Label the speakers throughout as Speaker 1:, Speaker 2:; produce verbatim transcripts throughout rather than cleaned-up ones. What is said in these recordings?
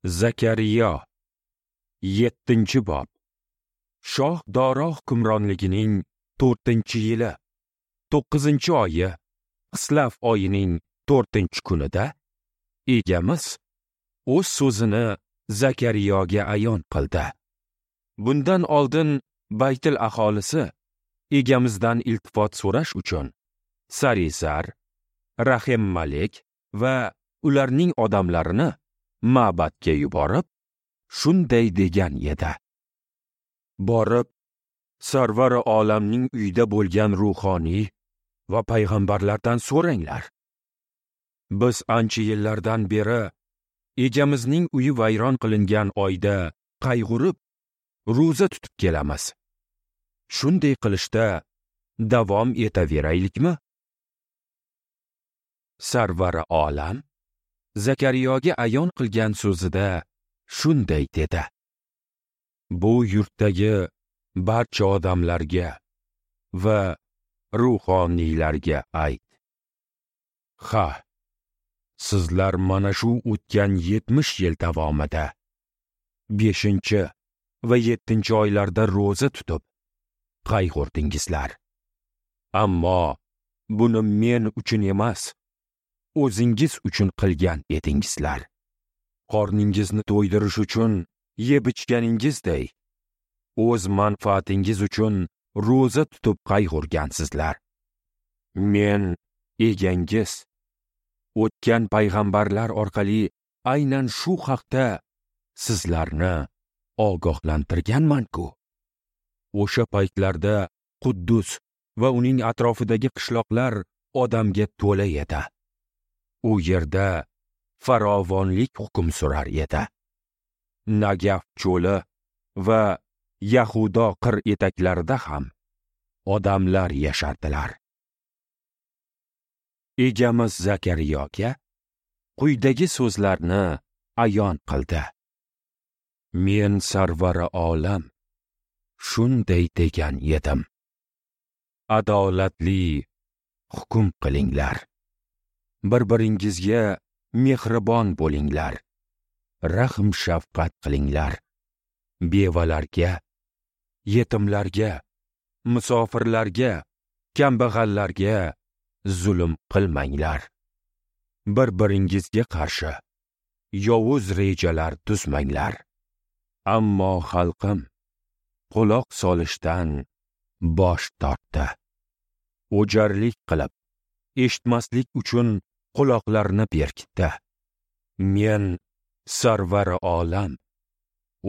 Speaker 1: Zakariyo, yettinchi bob. Shoh Doro hukmronligining to'rtinchi yili, to'qqizinchi oyi, Xislav oyining to'rtinchi kunida Egamiz o'z so'zini Zakariyoga ayon qildi. Bundan oldin Baytil aholisi Egamizdan iltifot so'rash uchun Sarisar, Rahim Malik va ularning odamlarini ma'batga yuborib, shunday degan edi: Borib, Sarvari olamning uyida bo'lgan ruhoniy va payg'ambarlardan so'ranglar. Biz ancha yillardan beri Egamizning uyi vayron qilingan oyda qayg'urib, ro'za tutib kelamiz. Shunday qilishda davom etaveraylikmi? Sarvari olam Zakariyoga ayon qilgan so'zida shunday dedi: Bu yurtdagi barcha odamlarga va ruhoniylarga ayt. Ha, sizlar mana shu o'tgan yetmish yil davomida beshinchi va yettinchi oylarda ro'za tutib qayg'urdingizlar. Ammo buni men uchun emas, o'zingiz uchun qilgan edingizlar. Qorningizni to'ydirish uchun yeb ichganingizday, o'z manfaatingiz uchun ro'za tutib qayg'urgansizlar. Men egangiz o'tgan payg'ambarlar orqali aynan shu haqda sizlarni ogohlantirganman-ku. O'sha paytlarda Quddus va uning atrofidagi qishloqlar odamga to'la edi. U yerda farovonlik hukm surar edi. Nagaf cho'li va Yahudo qir etaklarida ham odamlar yashardilar. Egamiz Zakariyoga quyidagi so'zlarni ayon qildi: Men Sarvari olam shunday degan edim: Adolatli hukm qilinglar. Bir-biringizga mehribon bo'linglar. Rahm shafqat qilinglar. Bevalarga, yetimlarga, musofirlarga, kambag'allarga zulm qilmanglar. Bir-biringizga qarshi yovuz rejalar tuzmanglar. Ammo xalqim quloq solishdan bosh tortdi. O'jarlik qilib, eshitmaslik uchun quloqlarini berkitdi. Men Sarvari olam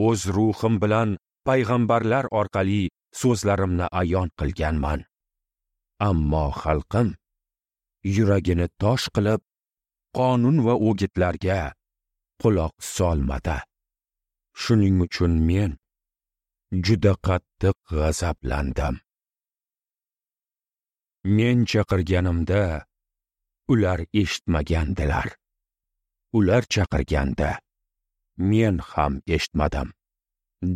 Speaker 1: o'z ruhim bilan payg'ambarlar orqali so'zlarimni ayon qilganman. Ammo xalqim yuragini tosh qilib, qonun va o'gitlarga quloq solmadi. Shuning uchun men juda qattiq g'azablandim. Men chaqirganimda ular eshitmagandilar. Ular chaqirganda men ham eshitmadim,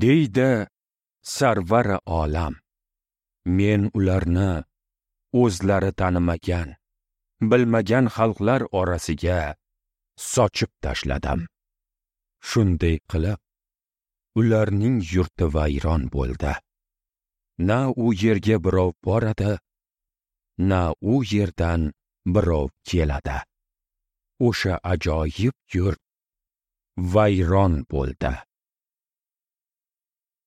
Speaker 1: deydi Sarvari olam. Men ularni o'zlari tanimagan, bilmagan xalqlar orasiga sochib tashladim. Shunday qilib, ularning yurti vayron bo'ldi. Na u yerga birov boradi, na u yerdan birov keladi. O'sha ajoyib yurt vayron bo'ldi.